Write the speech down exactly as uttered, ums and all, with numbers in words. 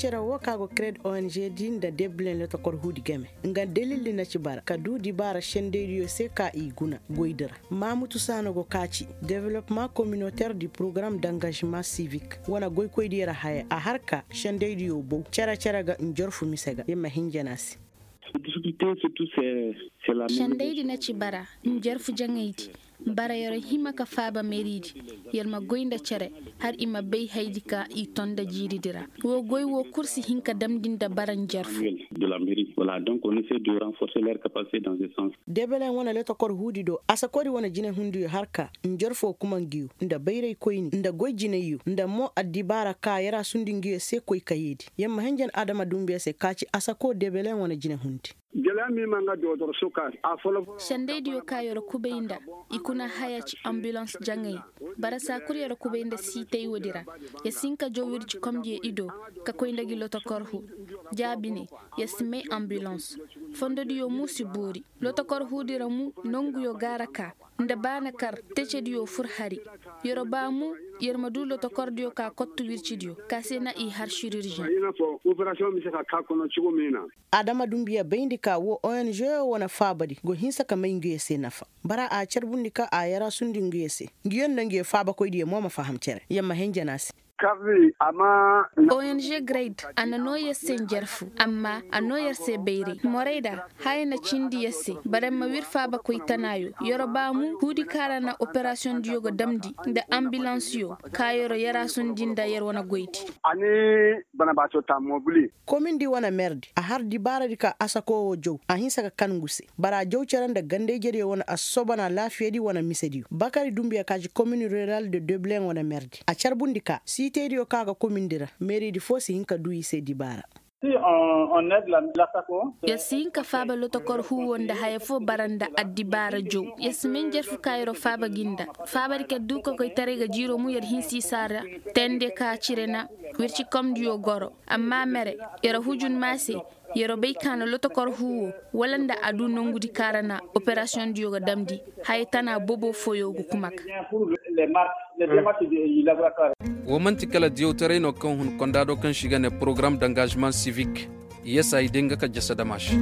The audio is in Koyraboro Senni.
Cere wo ka go kred ong di nda debilen lotokor huudi game nga dalildi na ci bara ka du dibaara sendaydiyo se ka i guna goydi ra. Maamutu saana go ka ci development communautaire du programme d'engagement civique wane goykoydiyo ra haya a har ka sendaydiyo bow cere-cere ga njorfu mise ga yer ma hinjana se. Sendaydi na ci bara njarfu jaŋaydi. Bara yer hima ka faaba meeridi yer ma goy nda cere har i ma bay haydi ka i ton nda jiiridi ra. Woo goy woo kul si hin ka damndi nda bara njarfu. Debeleŋ wane lotokor huudi do asakodi wane jinehundiyo har ka njarfoo kuma ngiyo nda bayraykoyni nda goy jinayyo nda mo addibaara ka yer a sundi ngiyo se koy kayeedi. Yer ma hinjan adama dumbiya se ka ci asakoo debeleŋ wane jinehundi. Sendaydiyo ka yer kubay nda i kuna haya ci ambilans jaŋay. Bara saa kul yer kubay nda siitay woodi ra. Yer si hin ka jow wircikomdiyo i do ka koy nda gi lotokor huu. Jaabi ne, yer si may ambilans. Fondodiyo mu si boori. Lotokor huudi ra mu nonguyo gaara ka nda baana kar tecediyo fur hari. Yer baa mu yer ma duu lotokordiyo ka kottu wircidiyo ka se na i har siriržen. Adama dumbiya bayndi ka woo ong wo wane faabadi go hinsa ka may nguyo se nafa. Bara a carbundi ka a yarasundi nguyo se nguyo nda nguyo faabakoydiyo mo ma faham cere yer ma henjana se. Ong grade a na noo yer se njarfu amma a noo yer se bayray morayda. Haya na cindi yer se bara yer ma wir faabakoy tanaayo yer baa mu huudi ka ra na operasiyondiyo ga damndi nda ambilansiyo ka yer yarasundi nda yer wane goydi. Komindi wane merdi a har dibaaradi ka asakoo woo jow a hinsa ka kan ngu se bara a jow cere nda ganda-ijediyo wane assobona laafiyadi wane misediyo bakari dumbiya ka ci komini rural de debilen wane merdi a carbundi ka siitaydiyo ka ga komindi ra meeridi foo si hin ka duu i se dibaara. Yer si hin ka faaba lotokor huuwo nda haya foo bara nda addibaara jow. Yer si may njarfu ka yer faaba gi nda faabadi ka duu kokoytaray ga jiiroo mu yer hinsa i saa ra. Tende ka cire na wircikomdiyo goro. Amma mere yer hujun maa se yer bay ka na lotokor huuwo wala nda a duu nongudi ka ra na operasiyondiyo ga damndi haya tana bobo fooyo ga kuma ga. Woo man'ti kala diyawtaray no kaŋ hun konda do kaŋ se i ga nee porogaram d'angaazement sivik. Yesa i day nga ka jasa dama se.